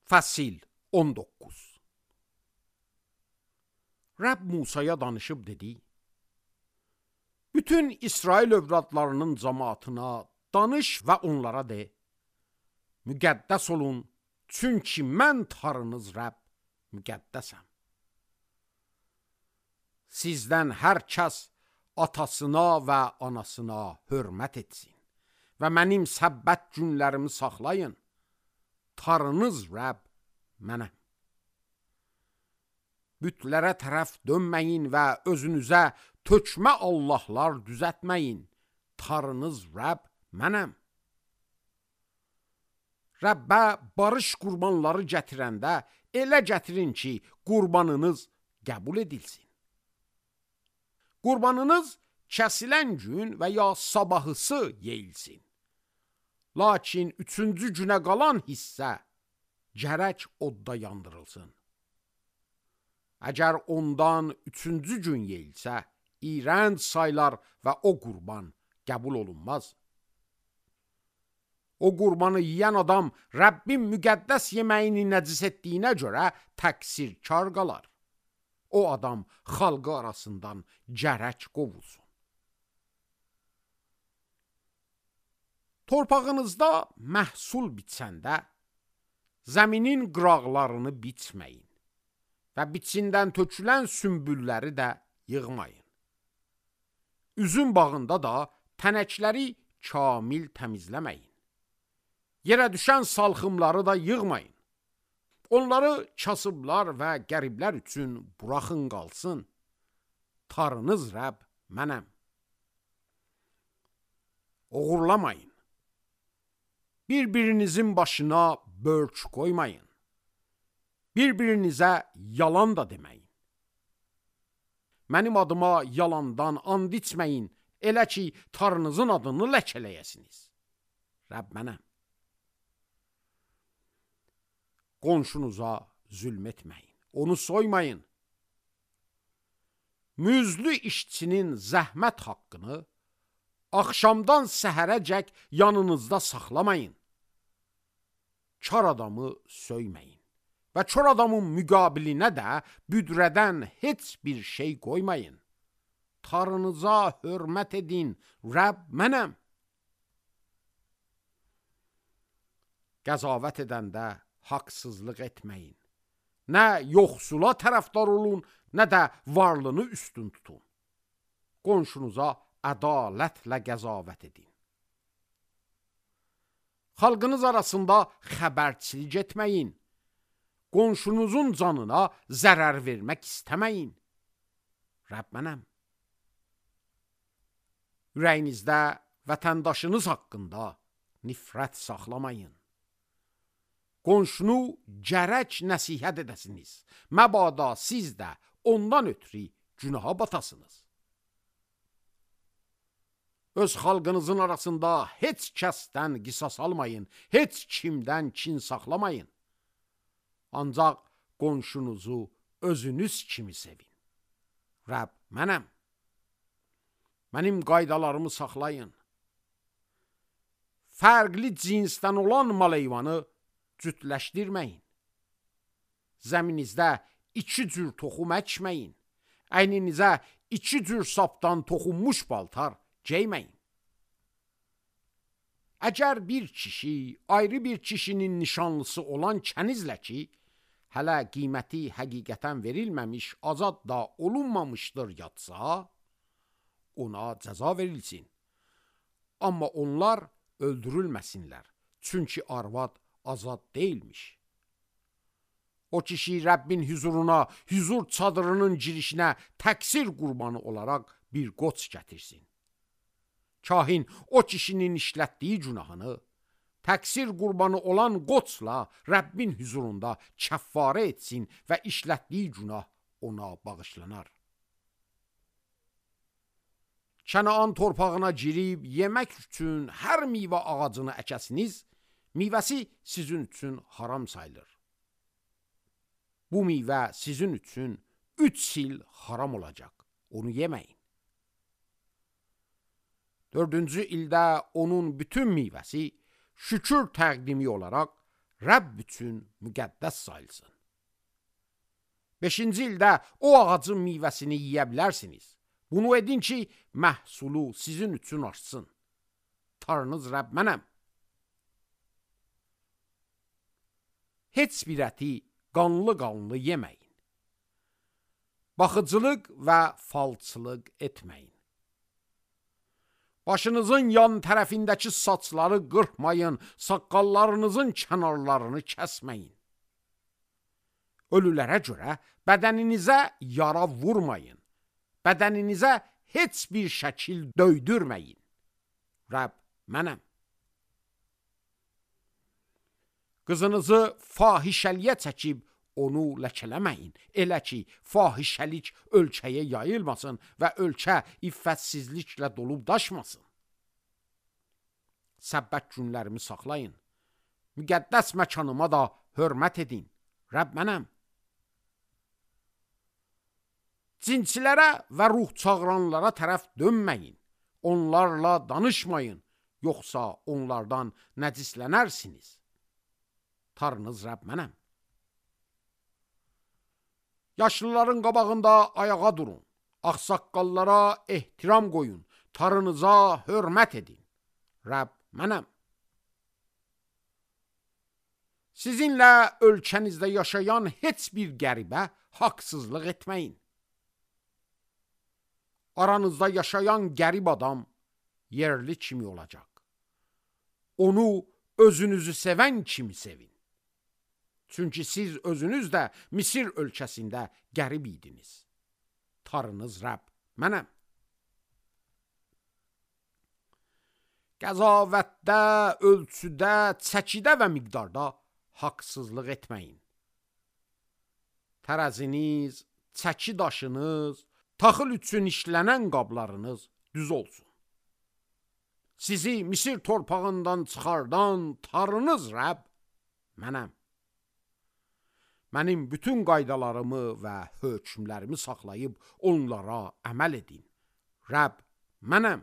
Fəsil 19. Rəbb Musaya danışıb dedi: Bütün İsrail övladlarının cəmaatına danış və onlara de: Müqəddəs olun, çünki mən Tanrınız Rəbb müqəddəsəm. Sizdən hər kəs atasına və anasına hörmət etsin və mənim səbbət günlərimi saxlayın. Tanrınız Rəbb mənəm. Bütlərə tərəf dönməyin və özünüzə tökmə allahlar düzətməyin. Tanrınız Rəbb mənəm. Rəbbə barış qurbanları gətirəndə elə gətirin ki, qurbanınız qəbul edilsin. Qurbanınız kəsilən gün və ya sabahısı yeyilsin. Lakin 3-cü günə qalan hissə gərək odda yandırılsın. Əgər ondan 3-cü gün yeyilsə, iyrənc saylar və o qurban qəbul olunmaz. O qurbanı yiyən adam Rəbbin müqəddəs yeməyini nəcis etdiyinə görə təqsirkar qalar. O adam xalqı arasından gərək qovulsun. Torpağınızda məhsul biçəndə zəminin qıraqlarını biçməyin və biçindən tökülən sümbülləri də yığmayın. Üzüm bağında da tənəkləri kamil təmizləməyin. Yerə düşən salxımları da yığmayın. Onları kasıblar və qəriblər üçün buraxın qalsın. Tanrınız Rəbb mənəm. Oğurlamayın. Bir-birinizin başına bölç qoymayın. Bir-birinizə yalan da deməyin. Mənim adıma yalandan and içməyin, elə ki, Tanrınızın adını ləkələyəsiniz. Rəbb mənəm. Qonşunuza zülm etməyin, onu soymayın. Müzlü işçinin zəhmət haqqını axşamdan səhərəcək yanınızda saxlamayın. Kar adamı söyməyin və kör adamın müqabilinə də büdrədən heç bir şey qoymayın. Tanrınıza hörmət edin, Rəbb mənəm. Qəzavət edəndə haqsızlıq etməyin. Nə yoxsula tərəfdar olun, nə də varlını üstün tutun. Qonşunuza ədalətlə qəzavət edin. Xalqınız arasında xəbərçilik etməyin. Qonşunuzun canına zərər vermək istəməyin. Rəbb mənəm. Ürəyinizdə vətəndaşınız haqqında nifrət saxlamayın. Qonşunu gərək nəsihət edəsiniz. Məbada siz də ondan ötürü günaha batasınız. Öz xalqınızın arasında heç kəsdən qisas almayın, heç kimdən kin saxlamayın. Ancaq qonşunuzu özünüz kimi sevin. Rəbb mənəm. Mənim qaydalarımı saxlayın. Fərqli cinsdən olan mal-heyvanı cütləşdirməyin. Zəminizdə 2 cür toxum əkməyin. Əyninizə 2 cür sapdan toxunmuş paltar geyməyin. Əgər bir kişi ayrı bir kişinin nişanlısı olan kənizlə ki, hələ qiyməti həqiqətən verilməmiş, azad da olunmamışdır yatsa, ona cəza verilsin. Amma onlar öldürülməsinlər, çünki arvad azad deyilmiş. O kişi Rəbbin huzuruna, huzur çadırının girişinə təqsir qurbanı olaraq bir qoç gətirsin. Kahin o kişinin işlətdiyi günahını təqsir qurbanı olan qoçla Rəbbin huzurunda kəffarə etsin və işlətdiyi günah ona bağışlanar. Kənaan torpağına girib yemək üçün hər meyvə ağacını əkəsiniz, meyvəsi sizin üçün haram sayılır. Bu meyvə sizin üçün 3 il haram olacaq. Onu yeməyin. 4-cü ildə onun bütün meyvəsi şükür təqdimi olaraq Rəbb üçün müqəddəs sayılsın. 5-ci ildə o ağacın meyvəsini yeyə bilərsiniz. Bunu edin ki, məhsulu sizin üçün artsın. Tanrınız Rəbb mənəm. Heç bir əti qanlı yeməyin. Baxıcılıq və falçılıq etməyin. Başınızın yan tərəfindəki saçları qırpmayın, saqqallarınızın kənarlarını kəsməyin. Ölülərə görə bədəninizə yara vurmayın. Bədəninizə heç bir şəkil döydürməyin. Rəbb mənəm. Qızınızı fahişəliyə çəkib onu ləkələməyin. Elə ki, fahişəlik ölkəyə yayılmasın və ölkə iffətsizliklə dolub daşmasın. Səbbət günlərimi saxlayın. Müqəddəs məkanıma da hörmət edin. Rəbb mənəm. Cinçilərə və ruh çağıranlara tərəf dönməyin. Onlarla danışmayın, yoxsa onlardan nəcislənərsiniz. Tanrınız Rəbb mənəm. Yaşlıların qabağında ayağa durun. Ağsaqqallara ehtiram qoyun. Tanrınıza hörmət edin. Rəbb mənəm. Sizinlə ölkənizdə yaşayan heç bir qəribə haqsızlıq etməyin. Aranızda yaşayan qərib adam yerli kimi olacaq. Onu özünüzü sevən kimi sevin. Çünki siz özünüz də Misir ölkəsində qərib idiniz. Tanrınız Rəbb mənəm. Qəzavətdə, ölçüdə, çəkidə və miqdarda haqsızlıq etməyin. Tərəziniz, çəki daşınız, taxıl üçün işlənən qablarınız düz olsun. Sizi Misir torpağından çıxardan Tanrınız Rəbb mənəm. Mənim bütün qaydalarımı və hökmlərimi saxlayıb onlara əməl edin. Rəbb mənəm.